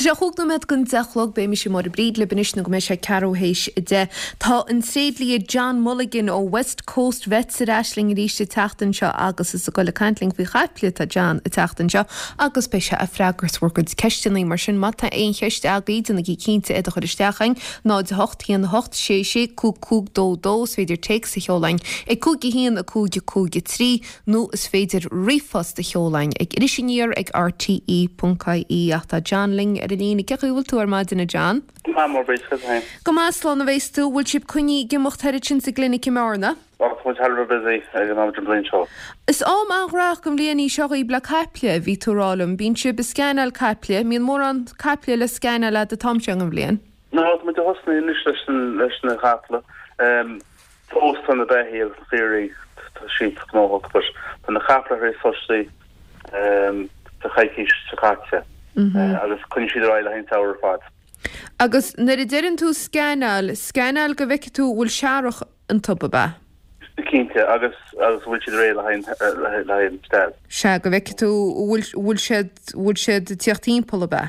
Tá sé chúig nóiméad don 10 a chlog, beidh mise Máire Bríd libh anois nó go mbeidh sé ceathrú théis 10. Tá an tréidlia John Mulligan ó West Coast Vets ar ais linn arís an tseachtain seo agus is ag goil ag caint linn faoi chaiple atá John an tseachtain seo agus beidh sé ag freagairt bhur gcuid ceisteanna. Mar sin má tá aon cheist agaibh déanaigí cinnte iad a chur isteach chugainn, 0 8 1 8 6 6 5 5 2 2 Is féidir téacs a sheoladh chugainn ag 5 1 5 5 3 nó is féidir ríomhphost a sheoladh chugainn ag Iris Aniar ag rte ponc ie. Ach tá John linn ar an líne. Cén chaoi a bhfuil tú ar maidin, a John? Go maith, a Mháire Bríd, conas féin? Go maith, slán a bheas tú. Bhfuil sibh coinnithe ag imeacht thar ansin sa gclinic i mBearna? Á, tá muid thar a bheith busy ag an am den bhliain seo. Is am an-ghnóthach den bhliain í seo dhaoib le caiple, bhí tú ag rá liom. Bíonn sibh ag scanáil caiple. Mbíonn mórán caiple le scanáil a'd an t-am seo den bhliain? No, tá muid ag thosnaí anois leis na caiple. Fós tá na beithígh agus na caoirigh, tá siad gnóthach but tá na caiple tar éis tosnaí sa choicís seo caite agus coinneoidh siad ar aghaidh le haghaidh an tsamhraidh ar fad. Agus nuair a deireann tú scanáil, scanáil go bhfeicfidh tú an bhfuil searrach iontu, ab ea? Cinnte, agus agus an bhfuil siad réidh le haghaidh le haghaidh an steall. Sea, go bhfeicfidh tú an bhfuil bhfuil siad bhfuil siad ag tíocht timpeall, ab ea?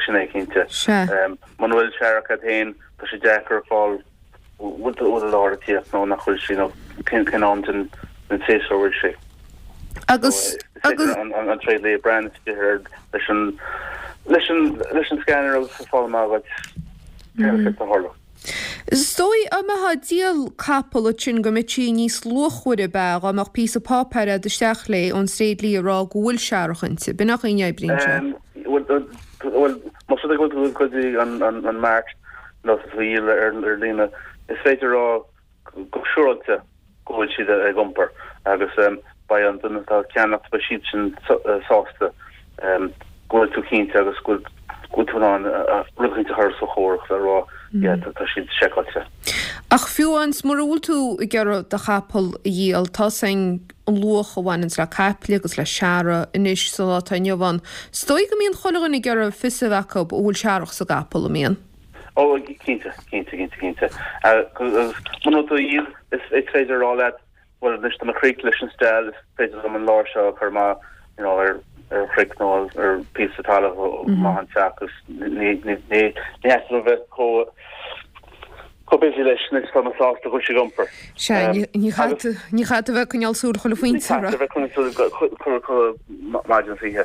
Sin é, cinnte. Sea. Muna bhfuil searrach agat féin, tá sé deacair a fáil bhfuil an láir ag tíocht nó nach bhfuil sí nó cén am den tséasúr a bhfuil sí. Agus, agus. An tréidlia ag breathnú air leis an, leis an, leis an scanner agus ag fáil amach dhuit céard atá ag tarlú. Is dóigh dá mbeifeá ag díol capall ansin go mbeadh sí níos luachmhaire ab ea dá mbeadh píosa páipéir a'd isteach léi ón tréidlia ag rá go bhfuil searrach inti. B'in an chaoi a n-oibríonn sé. Bhuel, bhuel, más rud é go bhfuil tú go dtí an, an, an mart nó tá tú á dhíol ar líne, is féidir a rá go siúráilte go bhfuil siad ag iompar agus beidh an duine atá ag ceannacht, beidh siad sin sásta go bhfuil tú cinnte agus go bhfuil tú in ann rud éicint a chur os a chomhair le rá yeah tá siad seiceáilte. Ach fiú amháin mura bhfuil tú ag iarraidh do chapall a dhíol, tá 's a'inn an luach a bhaineanns le caiple agus le searradh anois sa lá atá inniu ann. Is dóigh go mbíonn chuile dhuine ag iarraidh fios a bheith acu an bhfuil searrach sa gcapall, an mbíonn? Ó, cinnte, cinnte, cinnte, cinnte. Agus muna bhfuil tú á dhíol, is féidir a rá leat, bhuel, anois tá mé críochnaithe leis an steall, is féidir liom an láir seo a chur amach, you know, ar ar chnoic nó ar phíosa talaimh amach ón teach agus ní ní ní theastaíonn uaim bheith chomh chomh busy leis anois, tá mé sásta go bhfuil sé ag iompar. Sea, ní chaithfidh tú ní chaithfidh tú bheith ag coinneáil súil chuile phointe Ní chaithfidh tú bheith ag coinneáil súil chuile chuile maidin is oíche.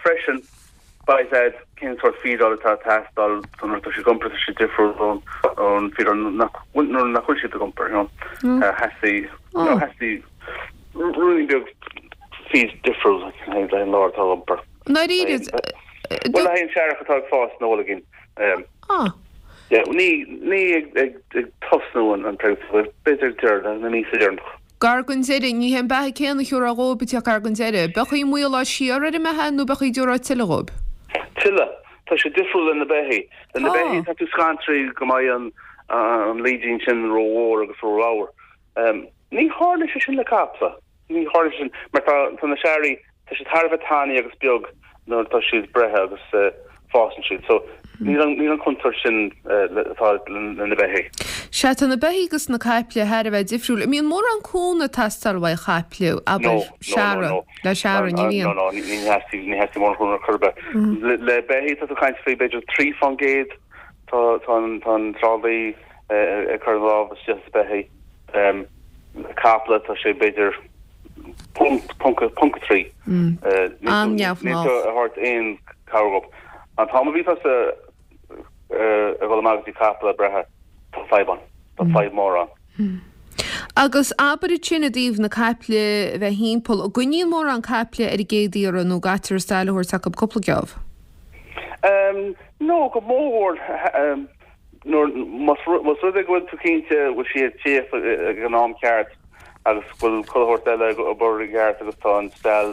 Freisin, beidh a fhios a'd cén sórt feedáil atá ag teastáil do nuair atá siad ag iompar, tá sé difriúil ón feedáil nach bhfuil, nuair nach bhfuil siad ag iompar, you know. Theastaigh, you know, theastaigh ruainnín beag feed difriúil le haghaidh an láir atá ag iompar. Ndáiríre? Bhuel, le haghaidh an searrach atá ag fás ina bhoilgín. Ah. Yeah, ní, ní ag, ag, ag tosnú an, an pregnancy, b'fhéidir ag deireadh, na míosa deireanach. Gar don deireadh, ní hé an beatha céanna a thiúrfá dhóibh ag teacht gar don deireadh. B'é an chaoi maolófá siar ar an mbeatha nó b'é an chaoi dtiúrfá tuilleadh dhóibh? Tuilleadh. Tá sé difriúil le na beithígh. Le na beithígh tá tú scantraithe go mbeidh an an laoidín sin rómhór agus róramhar. Ní tharlaíonn sé sin le caiple. Ní tharlaíonn sé sin mar tá tá na searraigh tá siad thar a bheith tanaí agus beag nuair atá siad breithe agus fásann siad. So níl an níl an contúirt sin atá le na beithígh. Sea, tá na beithígh agus na caiple thar a bheith difriúil. An mbíonn mórán cúnamh ag teastáil uaidh chaiple, abair, searradh, no. le searradh, ní bhíonn? No, no, ní theastaíonn ní theastaíonn mórán cúnamh ar chor ar bith. Le beithígh tá tú ag caint faoi b'fhéidir 3 fán gcéad tá tá an tá an trálaí ag cur an lámh isteach sa beithígh. Le caiple tá sé b'fhéidir ponc, ponc, ponc 3. An-neamhghnách. Níl tú ag thabhairt aon cabhair dhóibh. An t-am a bhí tusa ag dul amach go dtí caiple breithe, tá fadhb ann. Tá fadhb mór ann. Agus abair ansin i dtaobh na caiple a bheith thimpeall, an gcoinníonn mórán caiple ar an gcéad iarraidh nó an gcaitear an steall a thabhairt acu cúpla geábh? No, go mórmhór Nuair, más rud é go bhfuil tú cinnte go bhfuil sí ag tíocht ag an am ceart agus go bhfuil chuile shórt eile ag obair i gceart agus tá an steall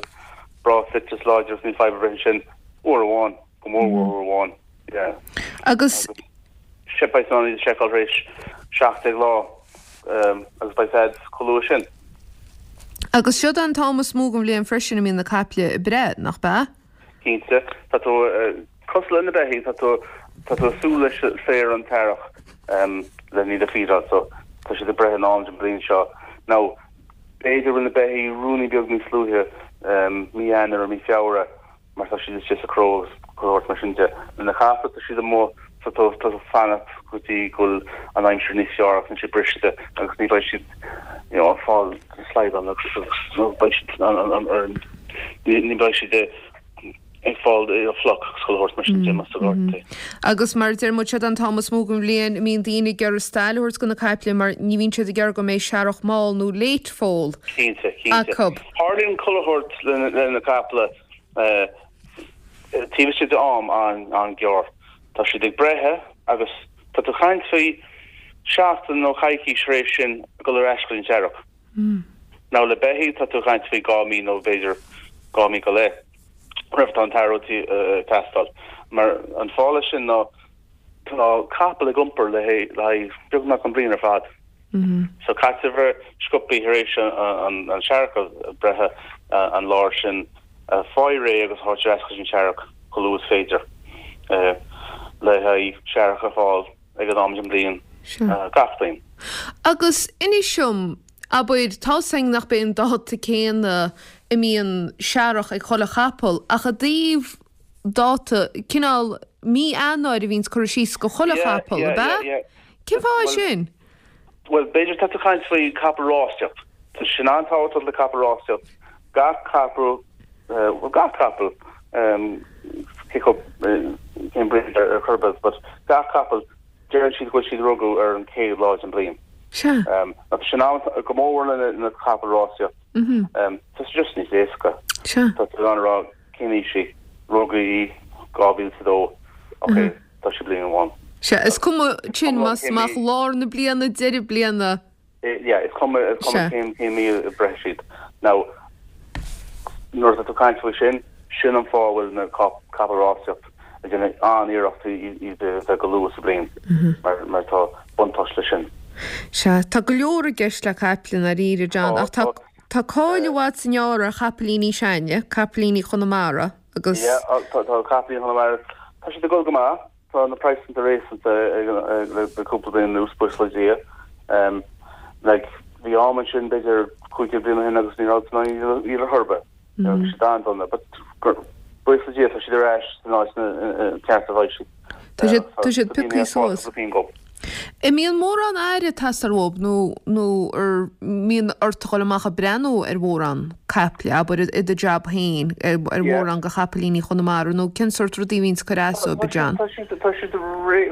breá fite is láidir agus níl fadhb ar bith ansin, uair amháin, go mór mhór uair amháin, yeah. Agus. Agus beidh tú in ann iad a sheiceáil tar éis 17 lá agus beidh a fhios a'd chomh luath sin. Agus siod é an t-am is mó den bhliain freisin a mbíonn na caiple ag breith, nach b'ea? Cinnte. Tá tú cosúil le na beithígh, tá tú tá tú ag súil leis féar an t-earrach le iad a feedáil so tá siad ag breith an am den bhliain seo. Now b'fhéidir go bhfuil na beithígh ruainnín beag níos luaithe, mí Eanáir nó mí Feabhra mar tá siad istigh sa chró agus. Chuile shórt mar sin de. Na caiple tá siad amuigh so tá tú ag fanacht go dtí go bhfuil an aimsir níos fearr agus níl sé briste agus ní bheidh siad you know ag fáil slaghdán agus nó beidh siad an ní bheidh siad ag fáil fliuch agus chuile shórt mar sin de más ort é. Agus mar a deir muid siod an t-am is mó den bhliain a mbíonn daoine ag iarraidh stail a thabhairt do na caiple mar ní bhíonn siad ag iarraidh go mbeidh searrach mall nó late foal Cinnte, cinnte. acu. Tarlaíonn chuile shórt le na caiple taobh istigh de am an-ghearr. Tá siad ag breith agus tá tú ag caint faoi seachtain nó coicís tar éis sin ag dul ar ais go dtí an searrach. Now le beithígh tá tú ag caint faoi 2 mí nó b'fhéidir 2 mí go leith roimh atá an t-athrú ag teastáil. Mar an fáth leis sin ná tá capall ag iompar le haghaidh beagnach an bhliain ar fad. So caithfidh bheith sciobthaí tar éis an searrach a breith an láir sin a fháil réidh agus a thabhairt ar ais chuig an searrach chomh luath is féidir le haghaidh searrach a fháil ag an am den bhliain gach bliain. Agus inis dom, abair, tá's againn nach b'é an dáta céanna a mbíonn searrach ag chuile chapall ach i dtaobh dáta, cineál mí Eanáir a bhíonns curtha síos go chuile chapall, ab ea? Cén fáth é sin? Bhuel, b'fhéidir tá tú ag caint faoi capall rásaíocht. Tá sin an-tábhachtach le capall rásaíocht. Gach capall, bhuel gach capall, cé chomh, cén breed ar chor ar bith, but gach capall, deireann siad go bhfuil siad rugadh ar an chéad lá den bhliain. Sea. Tá sin an, go mór le na capaill rásaíocht. Tá sé just níos éasca. Sea. Tá tú in ann a rá cén aois í, rugadh í 2002, ok, tá sí bliain amháin. Sea, is cuma sin más amach lár na bliana, deireadh bliana. Yeah, is cuma, is cuma cén, cén mí a breith siad. Now, nuair atá tú ag caint faoi sin, sin an fáth a bhfuil na capaill rásaíocht ag déanamh an-iarracht iad a bheith go luath sa bhliain, mar, mar tá buntáiste leis sin. Sea, tá go leor i gceist le caiple i ndáiríre, John, ach tá, Tá cáil i bhfad 's i ngearr ar chapaillíní s'againne, capaillíní Chonamara, agus. Yeah, tá capaillíní Chonamara, tá siad ag dul go maith, tá na praghsanna réasúnta le cúpla bliain anuas, buíochas le Dia. Like, bhí am ansin b'fhéidir 15 bliain ó shin agus ní raibh tú in ann iad a dhíol ar chor ar bith. Bhí siad an-dona, but buíochas le Dia tá siad ar ais san áit ceart a bheidh siad. Tá siad, tá siad pioctha suas. An mbíonn mórán aire ag teastáil uathub nó, nó ar mbíonn ort a dhul amach ag breathnú ar mhórán caiple, abair, i do jab féin, ar mhórán de chapaillíní Chonamara nó cén sórt rudaí a bhíonns ag cur as dóibh, a John? Tá siad, tá siad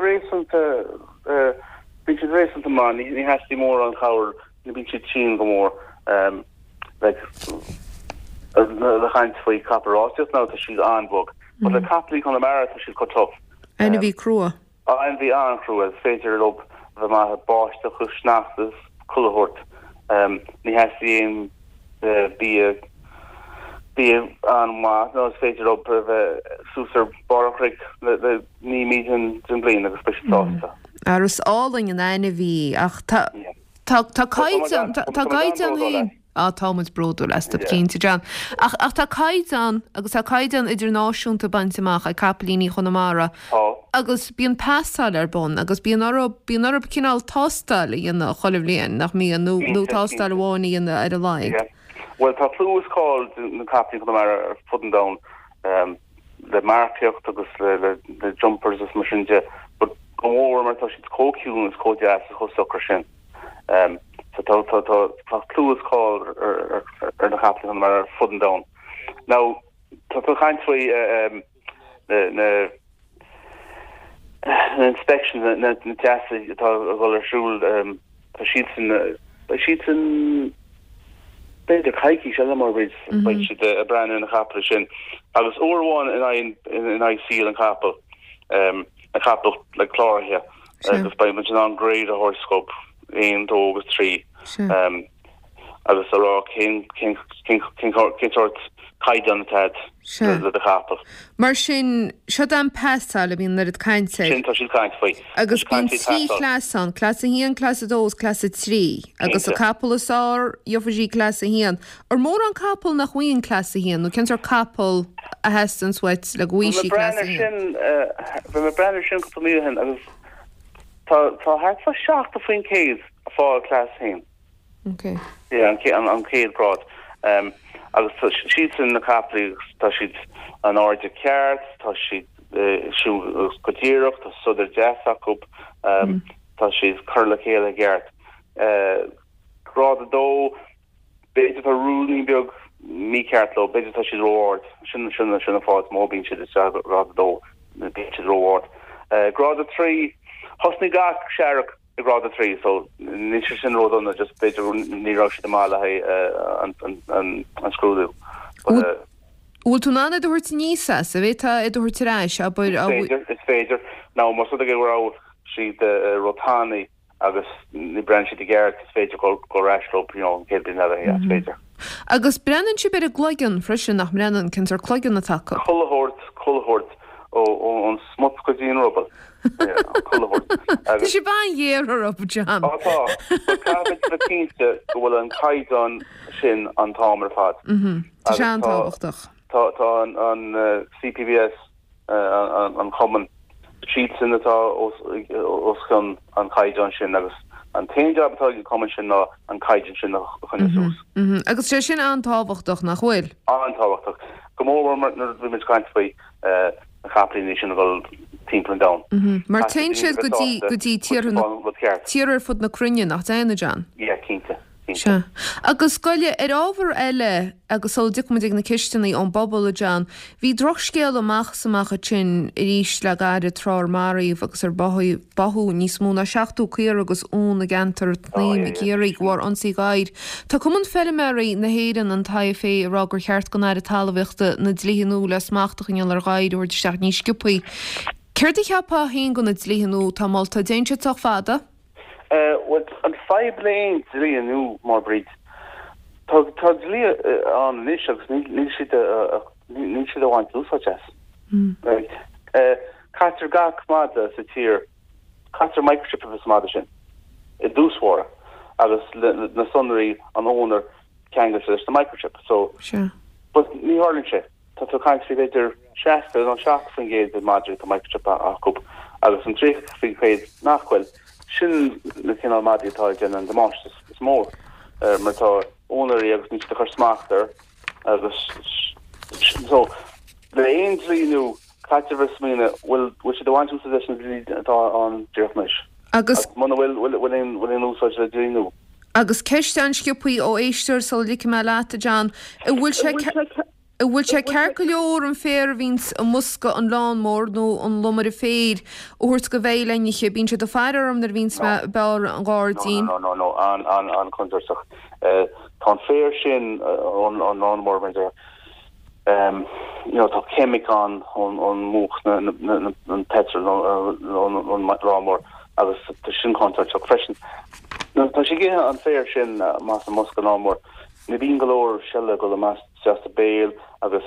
réasúnta, bíonn siad réasúnta maith, ní, ní theastaíonn mórán cabhair, ní bíonn siad tinn go mór. Like, le caint faoi capall rásaíocht now, tá siad an-bhog. But le capaillíní Chonamara, tá siad chomh tough. Ainmhí crua. Ainmhí an-chrua, is féidir leo bheith maith i báisteach is sneachta is chuile shórt. Ní theastaíonn aon bia, bia an-mhaith nó is féidir leo bheith suas ar barr an chnoic le 9 mí den bhliain agus beidh siad sásta. Ara is álainn an ainmhí ach tá tá tá caighdeán tá caighdeán féin. Á, tá muid bródúil astu, cinnte, John. Ach, ach tá caighdeán, agus tá caighdeán idirnáisiúnta bainte amach ag capaillíní Chonamara. Tá. Agus bíonn pasáil ar bun, agus bíonn orthu, bíonn orthu cineál tástáil a dhéanamh chuile bhliain, nach mbíonn, nó, nó tástáil amháin a dhéanamh ar a laghad. Yeah. Bhuel, tá clú is cáil de na capaillíní Chonamara ar fud an domhain, le marcaíocht agus le, le, le jumpers is mar sin de, but go mór mar tá siad chomh ciúin is chomh deas is chomh socair sin. So tá tá tá tá clú is cáil ar ar na capaillíní Chonamara ar fud an domhain. Now tá tú ag caint faoi na na na inspections na na na teastais atá ag dul ar siúl tá siadsan beidh siadsan b'fhéidir coicís eile mar beidh beidh siad ag breathnú ar na capaill sin agus uair amháin in aghaidh in aghaidh saol an capall na capaill le cláraithe agus beidh muid in ann grade a thabhairt dóibh, 1, 2 agus 3, agus a rá cén cén cén cén cén sórt caighdeán atá agat le do chapall. Mar sin, seo an pasáil a bhíonn an oiread cainte air. Sin tá siad ag caint faoi. Agus bíonn 3 chleas ann, cleas 1, cleas 2 agus cleas 3. Agus an capall is fearr, gheobhaidh sí cleas 1. Ar mórán capall nach bhfaigheann cleas 1, nó cén sórt capall a theastaíonns uait le go bhfaighidh sí cleas 1? Bhí mé ag breathnú ar sin cúpla mí ó shin agus tá tá thart fá 70% ag fáil cleas 1. Ok. Yeah, an an chéad grád. Agus tá siadsan na capaillí agus tá siad an airde ceart, tá siad. siúl go díreach, tá sodar deas acu, tá siad curtha le chéile i gceart. Grád 2, b'fhéidir tá ruainnín beag mícheart leo, b'fhéidir tá siad ró-ard, sin sin sin an fáth is mó a bíonn siad isteach i grád 2, bíonn siad ró-ard. Grád 3, thosnaigh gach searrach i grád 3 so níl sé sin ródhona, just b'fhéidir ní raibh siad maith le haghaidh an scrúdú. But. Bhfuil tú in ann iad a thabhairt aníos as? An bhféadfá iad a thabhairt ar ais, abair? Is féidir, is féidir. Now más rud é go raibh siad róthanaí agus ní breathnaíonn siad i gceart, is féidir dul ar ais leo you know an chéad bhliain eile, yeah, is féidir. Agus breathnaíonn sibh ar an gcloigeann freisin, nach mbreathnaíonn? Cén sórt cloigeann atá acu? Chuile shórt, chuile shórt, ón smut go dtí an ruball. Chuile shórt. Tá sibh an-ghéar orthu, John. Á tá. But caithfimid bheith cinnte go bhfuil an caighdeán sin an t-am ar fad. Tá sé an-tábhachtach. Tá tá an CPVS, an cumann, siadsan atá os cionn an chaighdeáin sin agus an t-aon jab atá ag an cumann sin ná an caighdeán sin a choinneáil suas. Agus sé sin an-tábhachtach, nach bhfuil? An-tábhachtach. Go mór mór nuair a bhí muid ag caint faoi na capaillíní sin a dhul timpeall an domhain. Mar téann siad go dtí go dtí tíortha tíortha ar fud na cruinne, nach dtéann, a John? Yeah, cinnte. Sea. Agus gabh i leith, ar ábhar eile, agus sula dtiocfaidh muid ag na ceisteanna ón bpobal, a John, bhí drochscéala amach is amach ansin arís le gairid tráth ar maraíodh agus ar báthadh níos mó ná 70 caora agus uan i gceantar an tSnaidhm i gCiarraí de bharr ionsaí gadhair. Tá Cumann Feilméaraí na hÉireann, an IFA, ag rá gur cheart don Aire Talmhaíochta na dlíthe nua le smacht a choinneáil ar ghadhair a thabhairt isteach níos sciobthaí. Céard a cheapfá féin de na dlíthe nua atá molta? An dtéann siad sách fada? Bhuel, an fadhb le aon dlí nua, mar Bríd, tá tá dlí ann anois agus níl siad níl siad á bhaint úsáid as. Right. Caitear gach mada sa tír, caitear microchip sa mada sin i dtús báire agus na sonraí an owner ceangailte leis na microchip. So, but ní tharlaíonn sé. Tá tú ag caint faoi b'fhéidir 60 nó 70% de mhadraí atá microchip acu agus an 30% nach bhfuil. Sin na cineál madaí atá ag déanamh an damáiste is mó mar tá úinéirí agus níl siad ag cur smacht air agus so le aon dlí nua caithfidh bheith ag smaoineamh bhfuil bhfuil siad ag baint úsáid as an dlí atá ann díreach anois. Agus. Muna bhfuil bhfuil aon bhfuil aon úsáid le dlí nua. Agus ceist an-sciobthaí ó éisteoir sula ligfidh mé leat, a John, an bhfuil sé an bhfuil sé ceart go leor an féar a bhíonns i mbosca an lawnmower nó an lomaire féir a thabhairt do bheithígh le n-ithe? Bíonn siad ag faire orm nuair a bhíonns mé ag bearradh an ghairdín. No, no, no, no, an-an-chontúirteach. Tá an féar sin ón lawnmower, mar a deir, you know, tá ceimic ann ón múch an petrol ón lawnmower agus tá sin contúirteach freisin. Nuair atá sé ag ithe an féar sin amach as an mbosca lawnmower, ní bíonn go leor seile ag dul amach isteach sa béal agus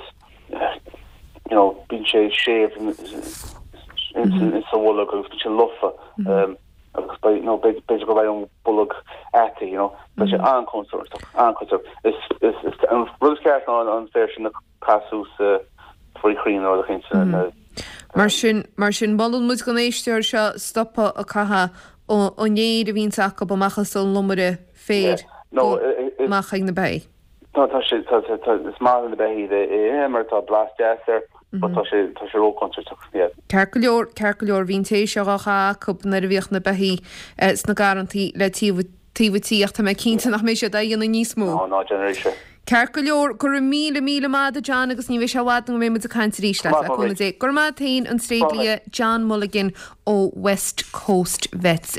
you know, bíonn sé séimh sa bholg agus bíonn sé lofa. agus beidh, nó b'fhéidir go mbeidh an bolg ata, you know, tá sé an-chontúirteach, an-chontúirteach. Is, is, is, an rud is ceart ná an féar sin a chaitheamh suas faoi chrainn nó rud eicínt. Mm. Mar sin, mar sin, molann muid don éisteoir seo stopadh ag caitheamh an fhéir a bhíonns acu amach as an lomaire féir No, amach chuig na beithígh. Tá, tá sé, tá, tá, tá, is maith le na beithígh é a ithe mar tá blas deas air, but tá sé, tá sé róchontúirteach, yeah. Ceart go leor, ceart go leor, bhí an tae seo dhá chaitheamh acu nuair a bhíodh na beithígh sna garrantaí le taobh, taobh an tí ach tá mé cinnte nach mbeidh siad á dhéanamh níos mó. Ná, ná déan arís é. Ceart go leor, go raibh míle, míle maith agat a John agus ní bheidh sé i bhfad nó go mbeidh muid ag caint arís leat, le cúnamh Dé. Go raibh maith agat féin, an tréidlia John Mulligan ó West Coast Vets.